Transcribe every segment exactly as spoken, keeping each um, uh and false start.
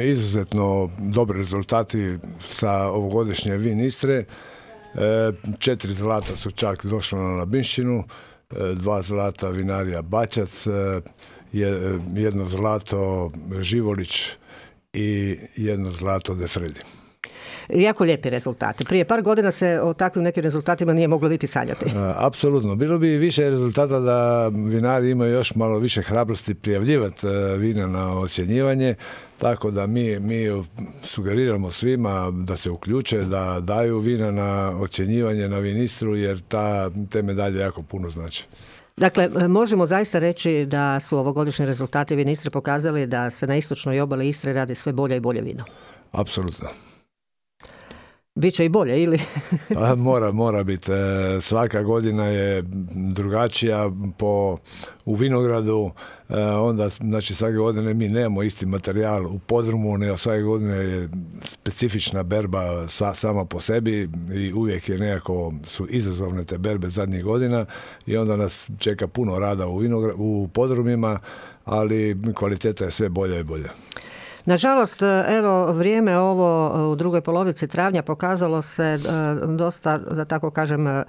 Izuzetno dobri rezultati sa ovogodišnje Vin Istre. Četiri zlata su čak došla na Labinšćinu, dva zlata vinarija Bačac, jedno zlato Živolić i jedno zlato De Fredi. Jako lijepi rezultati. Prije par godina se o takvim nekim rezultatima nije moglo niti sanjati. Apsolutno. Bilo bi više rezultata da vinari imaju još malo više hrabrosti prijavljivati vina na ocjenjivanje, tako da mi, mi sugeriramo svima da se uključe, da daju vina na ocjenjivanje na Vin Istru, jer ta, te medalje jako puno znači. Dakle, možemo zaista reći da su ovogodišnji rezultati Vin Istre pokazali da se na istočnoj obali Istre radi sve bolje i bolje vino. Apsolutno. Biće i bolje, ili? mora, mora biti. Svaka godina je drugačija po, u vinogradu. Onda, znači, svake godine mi nemamo isti materijal u podrumu, nego svake godine je specifična berba sva, sama po sebi i uvijek je nekako su izazovne te berbe zadnjih godina i onda nas čeka puno rada u, vinogra, u podrumima, ali kvaliteta je sve bolja i bolja. Nažalost, evo, vrijeme ovo u drugoj polovici travnja pokazalo se dosta, da tako kažem,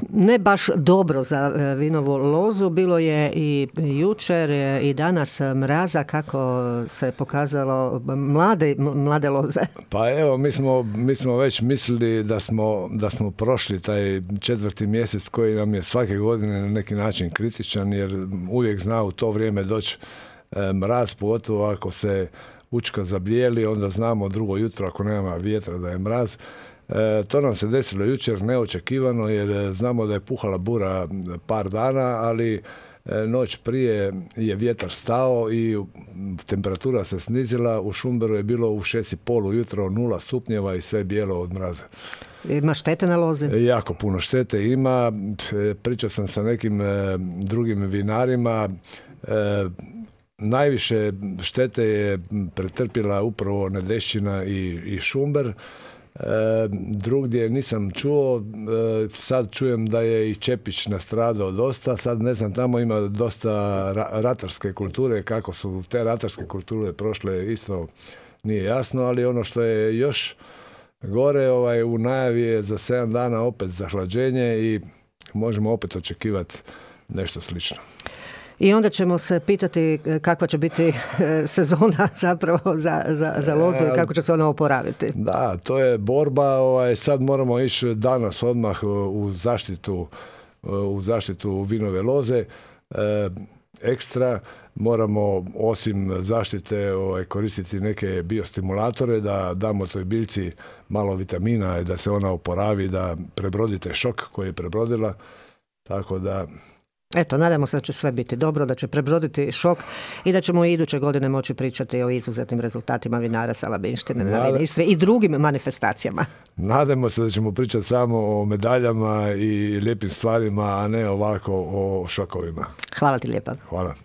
ne baš dobro za vinovu lozu. Bilo je i jučer i danas mraza, kako se pokazalo mlade, mlade loze. Pa evo, mi smo, mi smo već mislili da smo, da smo prošli taj četvrti mjesec koji nam je svake godine na neki način kritičan, jer uvijek zna u to vrijeme doći mraz, pogotovo ako se učka zablijeli, onda znamo drugo jutro ako nema vjetra da je mraz. E, to nam se desilo jučer neočekivano, jer znamo da je puhala bura par dana, ali e, noć prije je vjetar stao i temperatura se snizila. U Šumberu je bilo u šest i pol ujutro nula stupnjeva i sve bijelo od mraza. Ima štete na lozi? E, jako puno štete ima. E, pričao sam sa nekim e, drugim vinarima. E, Najviše štete je pretrpjela upravo Nedešćina i, i Šumber. E, drugdje nisam čuo, e, sad čujem da je i Čepić nastradao dosta, sad ne znam, tamo ima dosta ra, ratarske kulture, kako su te ratarske kulture prošle isto nije jasno, ali ono što je još gore, ovaj, u najavi je za sedam dana opet zahlađenje i možemo opet očekivati nešto slično. I onda ćemo se pitati kakva će biti sezona zapravo za, za, za lozu i kako će se ona oporaviti. Da, to je borba. Ovaj, sad moramo ići danas odmah u zaštitu, u zaštitu vinove loze. E, ekstra moramo osim zaštite ovaj, koristiti neke biostimulatore da damo toj biljci malo vitamina i da se ona oporavi, da prebrodite šok koji je prebrodila. Tako da... Eto, nadamo se da će sve biti dobro, da će prebroditi šok i da ćemo i iduće godine moći pričati o izuzetnim rezultatima vinara sa Labinštine na Vin Istre i drugim manifestacijama. Nadamo se da ćemo pričati samo o medaljama i lijepim stvarima, a ne ovako o šokovima. Hvala ti lijepa. Hvala.